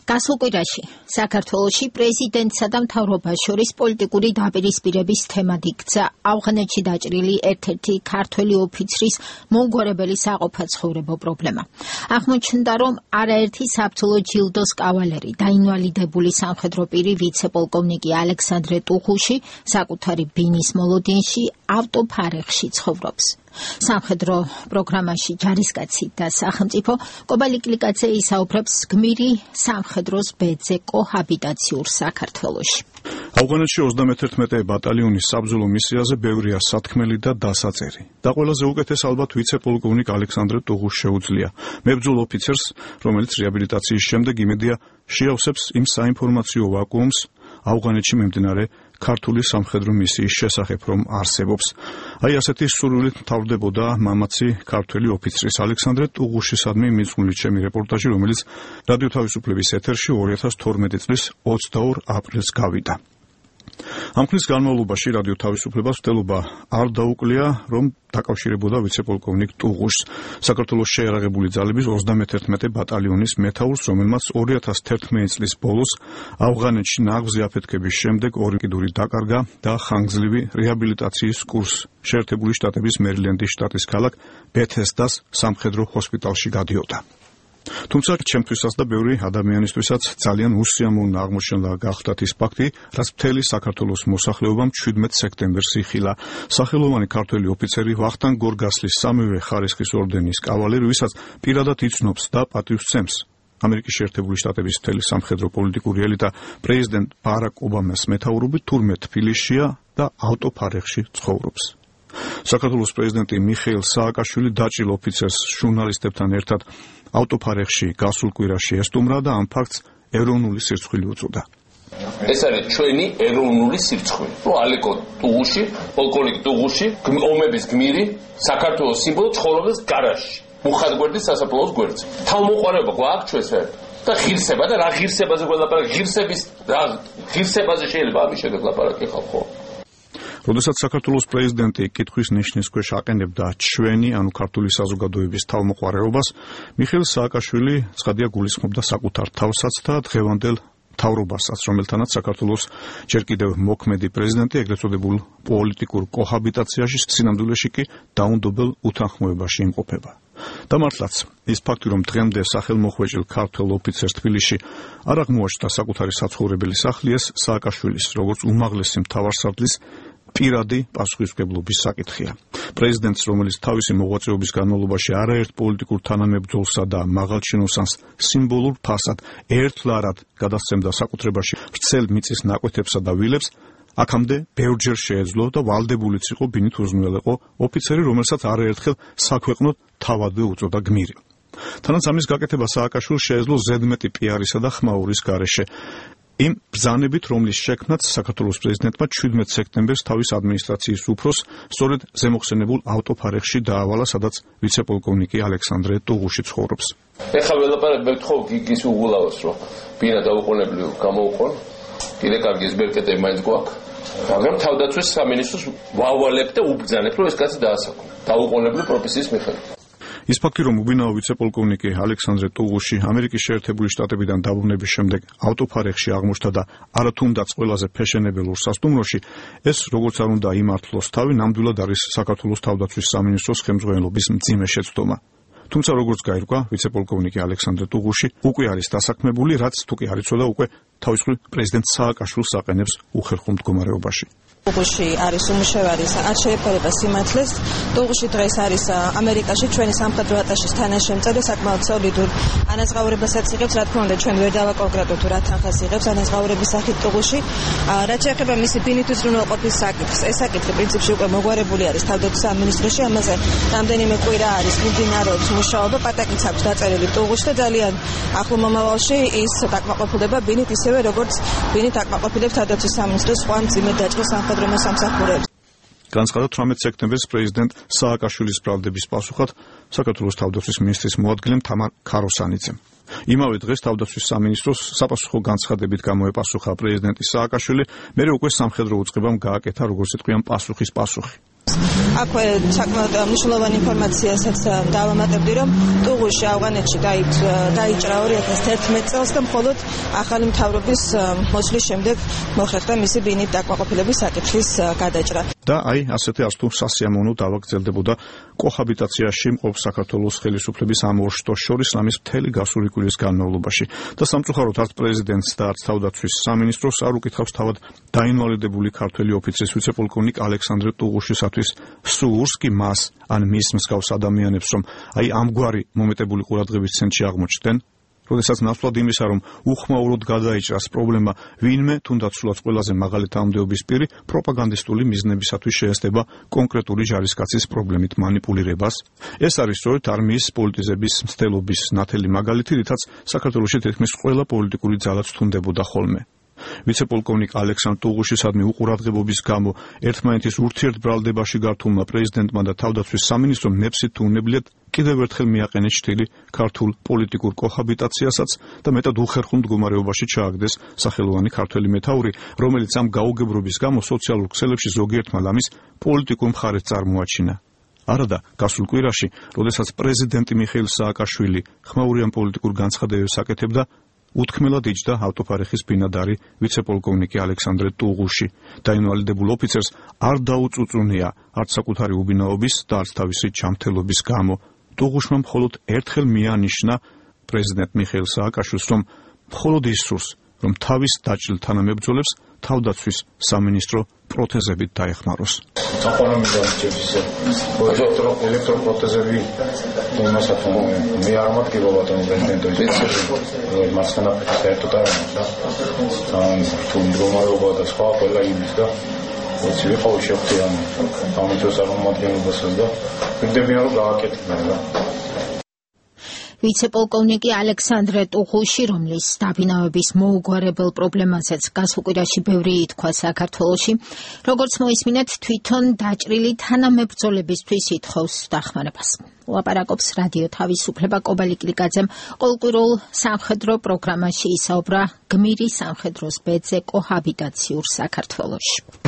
გასულ კვირაში საქართველოში პრეზიდენტსა და მთავრობას შორის პოლიტიკური დაპირისპირების თემად იქცა ავღანეთში დაჭრილი ერთ-ერთი ქართველი ოფიცრის მომგვარებელი საყოფაცხოვრებო პრობლემა. აღმოჩნდა, რომ არაერთი საბრძოლო ჯილდოს კავალერი და ინვალიდებული სამხედრო პირი ვიცე-პოლკოვნიკი ალექსანდრე ტუღუში საკუთარი ბინის მოლოდინში ავტოფარეხში ცხოვრობს. სამხედრო პროგრამაში ჯარისკაცი და სახელმწიფო კობალიკლიკაძე ისაუბრებს გმირი სამხედროს ბედზე კოჰაბიტაციურ საქართველოში. ავღანეთში 31 ბატალიონის საბრძოლო მისიაზე ბევრია სათქმელი და დასაწერი. და ყველაზე უკეთეს ალბათ ვიცე-პოლკოვნიკ ალექსანდრე ტუღუშს შეუძლია. მებრძოლ ოფიცერს, რომელიც რეაბილიტაციის შემდეგ იმედია შეავსებს იმ საინფორმაციო ვაკუუმს ავღანეთში მიმდინარე ქართული სამხედრო მისიის შესახებ, რომ არსებობს. აი ასეთი სურვილით მთავრდებოდა მამაცი ქართველი ოფიცრის ალექსანდრე ტუღუშისადმი მიძღვნილი ჩემი რეპორტაჟი, რომელიც რადიო თავისუფლების ეთერში 2012 წლის 22 აპრილს გავიდა. ამ ხნის განმავლობაში რადიო თავისუფლებას ვთელობა არ დაუკლია, რომ დაკავშირებოდა ვიცე-პოლკოვნიკ ტუღუშს, საქართველოს შეიარაღებული ძალების 31 ბატალიონის მეთაურს, რომელმაც 2011 წლის ბოლოს ავღანეთში ნაღვზი აფეთქების შემდეგ ორი კიდური დაკარგა და ხანგრძლივი რეაბილიტაციის კურსს შეერთებული შტატების მერილენდის შტატის ქალაქ ბეთესდას სამხედრო ჰოსპიტალში გადიოდა. თუმცა ჩემთვისაც და ბევრი ადამიანისთვისაც ძალიან უსიამოვნო აღმოჩნდა გახლდათ ის ფაქტი, რაც მთელი საქართველოს მოსახლეობამ 17 სექტემბერს იხილა. სახელოვანი ქართველი ოფიცერი ვახტანგ გორგასლის სამივე ხარისხის ორდენის კავალერი, ვისაც პირადად იცნობს და პატივს სცემს ამერიკის შეერთებული შტატების მთელი სამხედრო პოლიტიკური ელიტა პრეზიდენტ ბარაკ ობამას მეთაურობით თურმე თბილისშია და ავტოფარეხში ცხოვრობს. საქართველოს პრეზიდენტი მიხეილ სააკაშვილი დაჭრილ ოფიცერს ჟურნალისტებთან ერთად ავტოფარეხში გასულ კვირაში ესტუმრა და ამ ფაქტს ეროვნული სირცხვილი უწოდა. ეს არის ჩვენი ეროვნული სირცხვილი. ალეკო ტუღუში, პოლკოვნიკ ტუღუში, ომების გმირი, საქართველოს სიმბოლო ცხოვრობს გარაჟში, მუხატგვერდის სასაფლაოს გვერდზე. თავმოყარება გვაქვს ჩვენს და ღირსება და რა ღირსებაზე გველაპარაკ, ღირსებაზე შეიძლება ამის შემდეგ ლაპარაკი ხალხო. როდესაც საქართველოს პრეზიდენტი კითხვის ნიშნის ქვეშ აყენებდა ჩვენი, ანუ ქართული საზოგადოების თავმოყარეობას, მიხეილ სააკაშვილი ცხადია გულისხმობდა საკუთარ თავსაც და დღევანდელ მთავრობასაც, რომელთანაც საქართველოს ჯერ კიდევ მოქმედი პრეზიდენტი ეგრეთ წოდებულ პოლიტიკურ კოჰაბიტაციაში, სინამდვილეში კი დაუნდობელ უთანხმოებაში იმყოფება. და მართლაც ის ფაქტი, რომ დღემდე სახელმოხვეჭილ ქართველ ოფიცერს თბილისში არ აღმოაჩნდა საკუთარი საცხოვრებელი სახლი, ეს სააკაშვილის როგორც უმაღლესი მთავარსარდლის პირადი პასუხისმგებლობის საკითხია. პრეზიდენტს, რომელიც თავისი მოღვაწეობის განმავლობაში არაერთ პოლიტიკურ თანამებრძოლსა და მაღალჩინოსანს სიმბოლურ ფასად ერთლარად გადასცემდა საკუთრებაში ვრცელ მიწის ნაკვეთებსა და ვილებს, აქამდე ბევრჯერ შეეძლო და ვალდებულიც იყო ბინით უზრუნველეყო ოფიცერი, რომელსაც არაერთხელ საქვეყნოდ თავადვე უწოდა გმირი. თანაც ამის გაკეთება სააკაშვილს შეეძლო ზედმეტი პიარისა და ხმაურის გარეშე. იმ ბრძანებით, რომლის შექმნაც საქართველოს პრეზიდენტმა 17 სექტემბერს თავის ადმინისტრაციის უფროს სწორედ ზემოხსენებულ ავტოფარეხში დაავალა, სადაც ვიცე-პოლკოვნიკი ალექსანდრე ტუღუში ცხოვრობს. ეხლა ველაპარაკ მეთხოვ გიგის უგულავს, რომ ბინა დაუყოვნებლივ გამოუყონ, კიდე კარგი ზბერკეტები მაინც გვაქვს. მაგრამ თავდაცვის სამინისტროს ვავალებ და უბრძანებ, რომ ეს კაცი დაასაქმო. დაუყოვნებლივ პროფესიის მიხედვით. ის ფაქტი, რომ უბინაო ვიცე-პოლკოვნიკი ალექსანდრე ტუღუში ამერიკის შეერთებული შტატებიდან დაბრუნების შემდეგ ავტოფარეხში აღმოჩნდა და არათუნდაც ყველაზე ფეშენებელურ სასტუმროში, ეს როგორც არ უნდა იმართლოს თავი, ნამდვილად არის საქართველოს თავდაცვის სამინისტროს ხელმძღვანელობის მძიმე შეცდომა. თუმცა როგორც გაირკვა, ვიცე-პოლკოვნიკი ალექსანდრე ტუღუში უკვე არის დასაქმებული, რაც თუ კი არ იცოდა, უკვე თავისუფლ პრეზიდენტ სააკაშვილს აყენებს უხერხულ მდგომარეობაში. ტუღუში არის უმუშევარი, არ შეეფერება სიმართლეს. ტუღუში დღეს არის ამერიკაში ჩვენი სამხედრო ატაშის თანაშემწე, საკმაოდ სოლიდურ ანაზღაურებასაც იღებს, რა თქმა უნდა, ჩვენ ვერ დავაკონკრეტოთ რა თანხას იღებს ანაზღაურების სახით ტუღუში. რაც შეეხება მისი ბინით უზრუნველყოფის საკითხს, ეს საკითხი პრინციპში უკვე მოგვარებული არის თავდაცვის სამინისტროში, ამაზე რამდენიმე კვირა არის მიმდინარეობს მუშაობა, პატაკიც აქვს დაწერილი ტუღუში და ძალიან ახლო მომავალში ის დაკმაყოფილდება ბინით, ისევე როგორც ბინით აკმაყოფილებს თავდაცვის სამინისტრო სხვა მძიმე დაჭრილ სამხედრო მოსამსახურეებს. განსხვავებით 18 სექტემბერს პრეზიდენტ სააკაშვილის ბრალდების პასუხად საქართველოს თავდაცვის მინისტრის მოადგილემ თამარ ქაროსანიძემ. იმავე დღეს თავდაცვის სამინისტროს საპასუხო განცხადებით გამოეპასუხა პრეზიდენტი სააკაშვილი, მერე უკვე სამხედრო უწყებამ გააკეთა, როგორც იტყვიან, პასუხის პასუხი. აქვე საკმაოდ მნიშვნელოვანი ინფორმაციასაც დავამატებდი, რომ ტუღუში ავღანეთში დაიჭრა 2011 წელს და მხოლოდ ახალი მთავრობის მოსვლის შემდეგ მოხერხდა მისი ბინით დაკმაყოფილების საკითხის გადაჭრა. და აი ასეთი არც თუ სასიამოვნო დავა გრძელდებოდა კოჰაბიტაციაში მყოფ საქართველოს ხელისუფლების ამ ორ შტოს შორის ამის მთელი გასული კვირის განმავლობაში. და სამწუხაროდ არც პრეზიდენტს და არც თავდაცვის სამინისტროს არ უკითხავს თავად დაინვალიდებული ქართველი ოფიცრის ვიცე-პოლკოვნიკ ალექსანდრე ტუღუშისათვის სურს კი მას ან მის მსგავს ადამიანებს, რომ აი ამგვარი მომეტებული ყურადღების ცენტრში აღმოჩნდნენ, როდესაც ნაცვლად იმისა, რომ უხმაუროდ გადაიჭრას პრობლემა ვინმე, თუნდაც სულაც ყველაზე მაღალი თანამდებობის პირი პროპაგანდისტული მიზნებისათვის შეესწება კონკრეტული ჯარისკაცის პრობლემით მანიპულირებას. ეს არის სწორედ არმიის პოლიტიზების მცდელობის ნათელი მაგალითი, რითაც საქართველოში თითქმის ყველა პოლიტიკური ძალაც თუნდებოდა ხოლმე. ვიცე-პოლკოვნიკ ალექსანდრ ტუღუშისადმი უყურადღებობის გამო ერთმანეთის ურთიერთბრალდებაში გართულმა პრეზიდენტმა და თავდაცვის სამინისტრომ ნებსით თუ უნებლიეთ კიდევ ერთხელ მიაყენეს შთილი ქართულ პოლიტიკურ კოჰაბიტაციასაც და მეტად უხერხულ მდგომარეობაში ჩააგდეს სახელოვანი ქართველი მეთაური, რომელიც ამ გაუგებრობის გამო სოციალურ ქსელებში ზოგიერთმა ლამის პოლიტიკურ მხარეს წარმოაჩინა. არადა გასულ კვირაში, როდესაც პრეზიდენტი მიხეილ სააკაშვილი ხმაურიან პოლიტიკურ განცხადებებს აკეთებდა, უთქმელად იჯდა ავტოფარეხის ბინადარი ვიცე-პოლკოვნიკი ალექსანდრე ტუღუში. დაინვალიდებულ ოფიცერს არ დაუწუწუნია არც საკუთარი უბინაობის და არც თავისი ჯანმრთელობის გამო. ტუღუშმა მხოლოდ ერთხელ მიანიშნა პრეზიდენტ მიხეილ სააკაშვილს, რომ მხოლოდ ის სურს, რომ თავის დაჭრილ თანამებრძოლებს თავდაცვის სამინისტრო პროთეზებით დაეხმაროს. ელექტროპროთეზები იმასაც მე არ მოგივა ბატონო პრეზიდენტო მასანა საერთოდ არ არის თუ მდგომარეობა და სხვა ყველა იმის და ვიცი ვიყავი შეხვდიან სამეცნიერო წარმომადგენლობასაც და ვიგდებიან რომ გააკეთებენ რა. ვიცე-პოლკოვნიკი ალექსანდრე ტუღუში, რომლის დაბინავების მოუგვარებელ პრობლემასაც გასულ კვირაში ბევრი ითქვა საქართველოში, როგორც მოისმინეთ, თვითონ დაჭრილი თანამებრძოლებისთვის ითხოვს დახმარებას. ლაპარაკობს რადიო თავისუფლება კობალი კლიკაძემ ყოველკვირულ სამხედრო პროგრამაში ისაუბრა გმირი სამხედროს ბედზე კოჰაბიტაციურ საქართველოში.